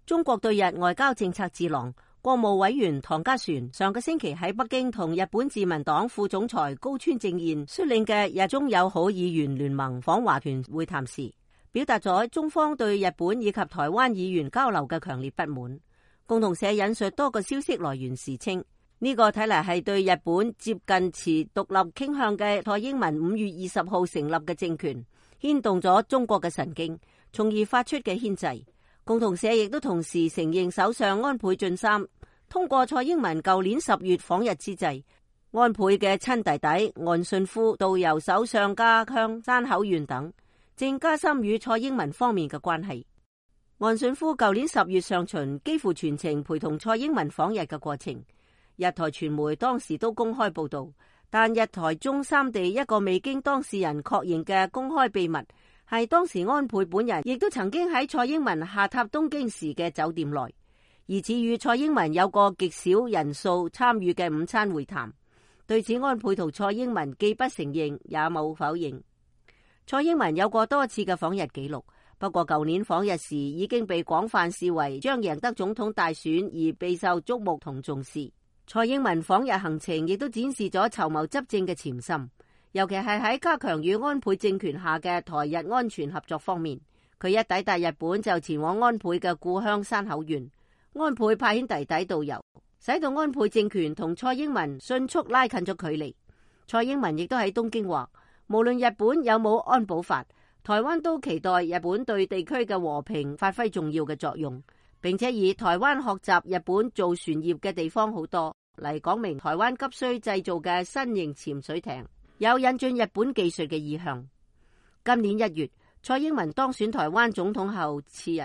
中國對日外交政策智囊、國務委員唐家璇上個星期喺北京同日本自民黨副總裁高村正彥率領嘅日中友好議員聯盟訪華團會談時，表達咗中方對日本以及台灣議員交流嘅強烈不滿。共同社引述多個消息來源時稱，呢個睇嚟係對日本接近持獨立傾向嘅蔡英文5月20號成立嘅政權牽動咗中國嘅神經，從而發出嘅牽制。共同社亦都同時承認，首相安倍晉三通過蔡英文舊年10月訪日之際，安倍嘅親弟弟岸信夫導遊首相家鄉山口縣等，正加深與蔡英文方面嘅關係。岸信夫舊年10月上旬幾乎全程陪同蔡英文訪日嘅過程，日台傳媒當時都公開報道，但日台中三地一個未經當事人確認嘅公開秘密，係當時安倍本人亦都曾經喺蔡英文下榻東京時嘅酒店內，疑似與蔡英文有個極少人數參與嘅午餐會談。對此，安倍同蔡英文既不承認也冇否認。蔡英文有過多次嘅訪日記錄，不過舊年訪日時已經被廣泛視為將贏得總統大選而備受矚目同重視。蔡英文訪日行程亦都展示咗籌謀執政嘅潛心，尤其係喺加強與安倍政權下嘅台日安全合作方面。佢一抵達日本就前往安倍嘅故鄉山口縣，安倍派遣弟弟導遊，使到安倍政權同蔡英文迅速拉近咗距離。蔡英文亦都喺東京話，無論日本有冇安保法，台灣都期待日本對地區嘅和平發揮重要嘅作用，並且以台灣學習日本造船業嘅地方好多嚟講明台灣急需製造嘅新型潛水艇有引進日本技術嘅意向。今年1月，蔡英文當選台灣總統後次日，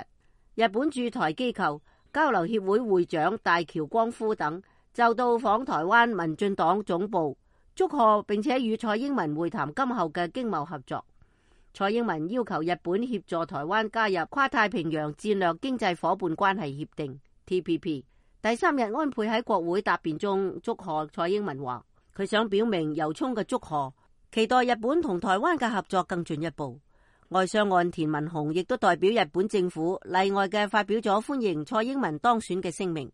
日本駐台機構交流協會會長大橋光夫等就到訪台灣民進黨總部，祝賀並且與蔡英文會談今後嘅經貿合作。蔡英文要求日本協助台灣加入跨太平洋戰略經濟夥伴關係協定 TPP。第3日，安倍喺國會答辯中祝賀蔡英文話，佢想表明由衷嘅祝賀，期待日本同台灣嘅合作更進一步。外相岸田文雄亦都代表日本政府例外嘅發表咗歡迎蔡英文當選嘅聲明。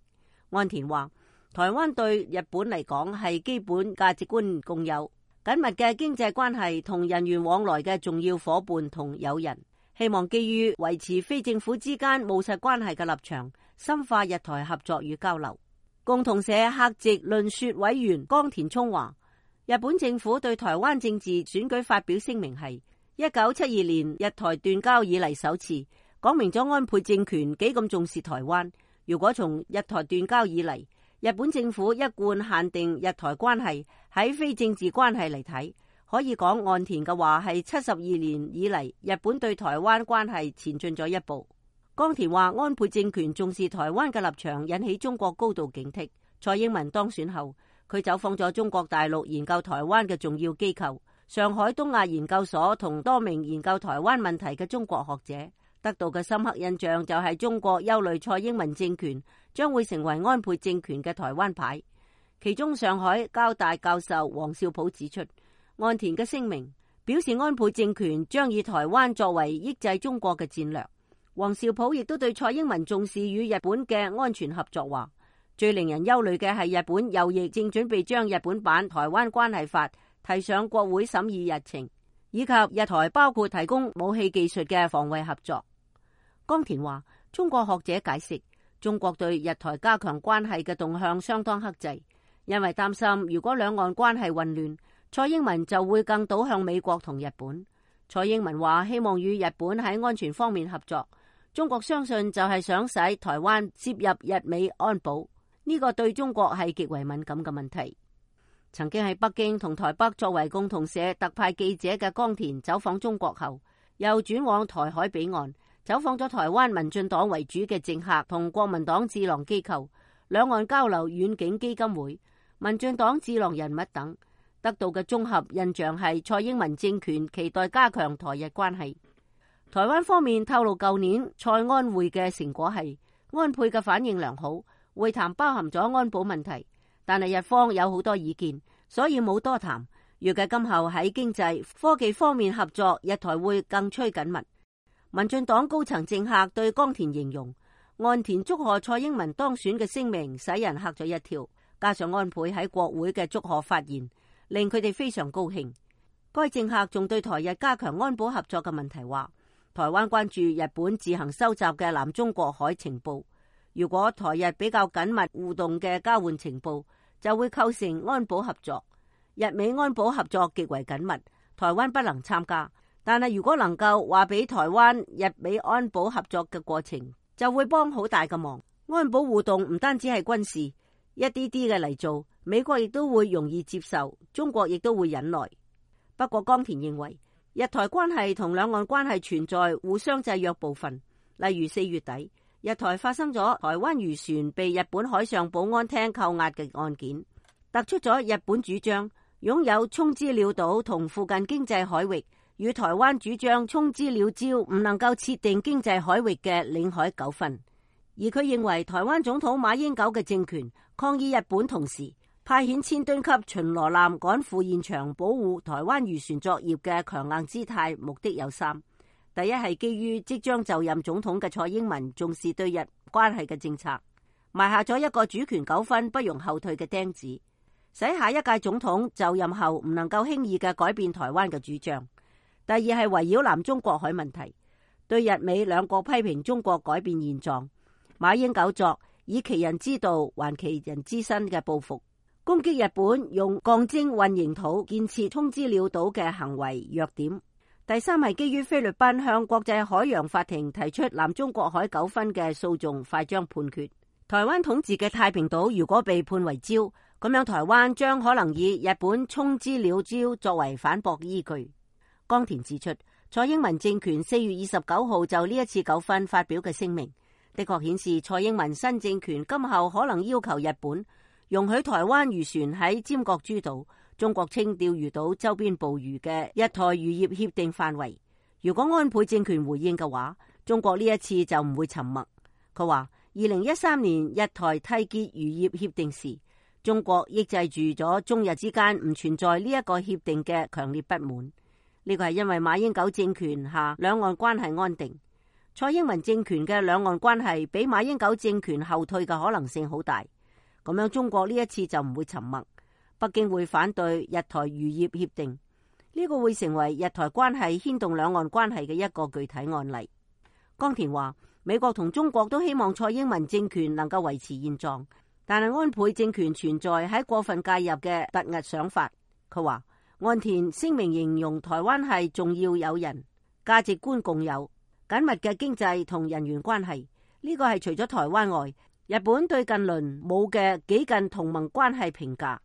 岸田話，台灣對日本嚟講係基本價值觀共有、緊密嘅經濟關係同人員往來嘅重要夥伴同友人，希望基於維持非政府之間務實關係嘅立場，深化日台合作與交流。共同社客席論說委員江田聰話，日本政府對台灣政治選舉發表聲明係1972年日台斷交以嚟首次，講明咗安倍政權幾咁重視台灣。如果從日台斷交以嚟，日本政府一貫限定日台關係喺非政治關係嚟睇，可以講岸田嘅話係72年以嚟日本對台灣關係前進咗一步。江田話，安倍政權重視台灣嘅立場引起中國高度警惕。蔡英文當選後，佢走訪咗中國大陸研究台灣嘅重要機構上海東亞研究所同多名研究台灣問題嘅中國學者，得到嘅深刻印象就係中國憂慮蔡英文政權將會成為安倍政權嘅台灣牌。其中上海交大教授黃少普指出，岸田嘅聲明表示安倍政權將以台灣作為抑制中國嘅戰略。黃少普亦都對蔡英文重視與日本嘅安全合作話，最令人憂慮嘅係日本右翼正準備將日本版台灣關係法提上國會審議日程，以及日台包括提供武器技術嘅防衛合作。江田話，中國學者解釋，中國對日台加強關係嘅動向相當克制，因為擔心如果兩岸關係混亂，蔡英文就會更倒向美國同日本。蔡英文話希望與日本喺安全方面合作，中國相信就係想使台灣接入日美安保，呢個對中國係極為敏感嘅問題。曾經喺北京同台北作為共同社特派記者嘅江田走訪中國後，又轉往台海彼岸，走訪咗台灣民進黨為主嘅政客同國民黨智囊機構、兩岸交流遠景基金會、民進黨智囊人物等，得到嘅綜合印象係蔡英文政權期待加強台日關係。台灣方面透露，舊年蔡安會嘅成果係安倍嘅反應良好，會談包含咗安保問題，但係日方有好多意見，所以冇多談。預計今後喺經濟、科技方面合作，日台會更趨緊密。民進黨高層政客對江田形容，岸田祝賀蔡英文當選嘅聲明使人嚇咗一跳，加上安倍喺國會嘅祝賀發言，令佢哋非常高興。該政客仲對台日加強安保合作嘅問題話，台灣關注日本自行收集嘅南中國海情報，如果台日比較緊密互動嘅交換情報，就會構成安保合作。日美安保合作極為緊密，台灣不能參加，但係如果能夠話俾台灣日美安保合作嘅過程，就會幫好大嘅忙。安保互動唔單止係軍事，一啲啲嘅嚟做，美國亦都會容易接受，中國亦都會忍耐。不過岡田認為，日台關係同兩岸關係存在互相制約部分，例如4月底，日台發生咗台灣漁船被日本海上保安廳扣押嘅案件，突出咗日本主張擁有沖之鳥島同附近經濟海域，與台灣主張沖之鳥礁唔能夠設定經濟海域嘅領海糾紛。而佢認為台灣總統馬英九嘅政權抗議日本，同時派遣1000噸級巡邏艦趕赴現場保護台灣漁船作業嘅強硬姿態，目的有3。第一係基於即將就任總統嘅蔡英文重視對日關係嘅政策，埋下咗一個主權糾紛不容後退嘅釘子，使下一屆總統就任後唔能夠輕易嘅改變台灣嘅主張。第二係圍繞南中國海問題，對日美兩國批評中國改變現狀，馬英九作以其人之道還其人之身嘅報復，攻擊日本用鋼精混凝土建設沖之鳥島嘅行為弱點。第三係基於菲律賓向國際海洋法庭提出南中國海糾紛嘅訴訟快將判決，台灣統治嘅太平島如果被判為礁，咁樣台灣將可能以日本沖之鳥礁作為反駁依據。岡田指出，蔡英文政權4月29號就呢一次糾紛發表嘅聲明，的確顯示蔡英文新政權今後可能要求日本容許台灣漁船喺尖閣諸島、中國稱釣魚島周邊捕魚嘅日台漁業協定範圍。如果安倍政權回應嘅話，中國呢一次就唔會沉默。佢話2013年日台締結漁業協定時，中國抑制住咗中日之間唔存在呢一個協定嘅強烈不滿。呢個係因為馬英九政權下兩岸關係安定，蔡英文政權嘅兩岸關係比馬英九政權後退嘅可能性好大。咁樣中國呢一次就唔會沉默，北京會反對日台漁業協定，呢個會成為日台關係牽動兩岸關係嘅一個具體案例。岡田話，美國同中國都希望蔡英文政權能夠維持現狀，但係安倍政權存在喺過分介入嘅突兀想法。佢話岸田聲明形容台灣係重要友人，價值觀共有，緊密嘅經濟同人員關係，呢個係除咗台灣外，日本對近鄰冇嘅幾近同盟關係評價。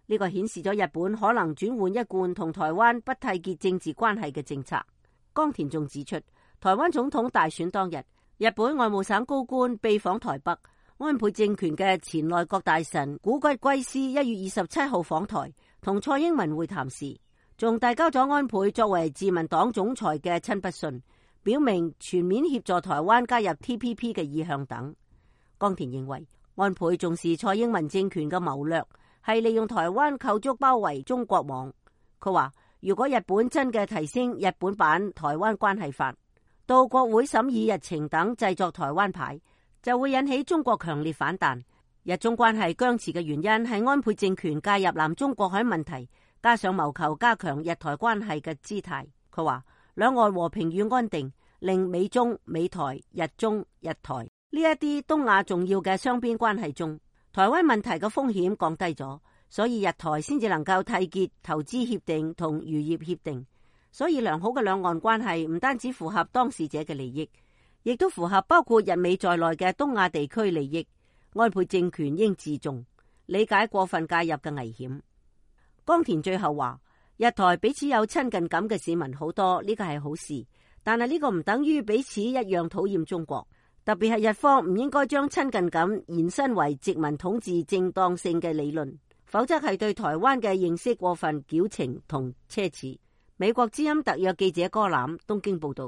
呢個顯示咗日本可能轉換一貫同台灣不締結政治關係嘅政策。岡田仲指出，台灣總統大選當日，日本外務省高官秘訪台北，安倍政權嘅前內閣大臣古骨圭司1月27號訪台，同蔡英文會談時，仲遞交咗安倍作為自民黨總裁嘅親筆信，表明全面協助台灣加入 TPP 嘅意向等。岡田認為，安倍重視蔡英文政權嘅謀略係利用台灣構築包圍中國網。佢話，如果日本真嘅提升日本版台灣關係法，到國會審議日程等製作台灣牌，就會引起中國強烈反彈。日中關係僵持嘅原因係安倍政權介入南中國海問題，加上謀求加強日台關係嘅姿態。佢話，兩岸和平與安定令美中、美台、日中、日台呢一啲東亞重要嘅雙邊關係中，台灣問題嘅風險降低咗，所以日台先至能夠締結投資協定同漁業協定。所以良好嘅兩岸關係唔單止符合當事者嘅利益，亦都符合包括日美在內嘅東亞地區利益。安倍政權應自重，理解過分介入嘅危險。岡田最後話，日台彼此有親近感嘅市民好多，呢個係好事，但係呢個唔等於彼此一樣討厭中國。特別係日方唔應該將親近感延伸為殖民統治正當性嘅理論，否則係對台灣嘅認識過分矯情同奢侈。美國之音特約記者柯攬東京報道。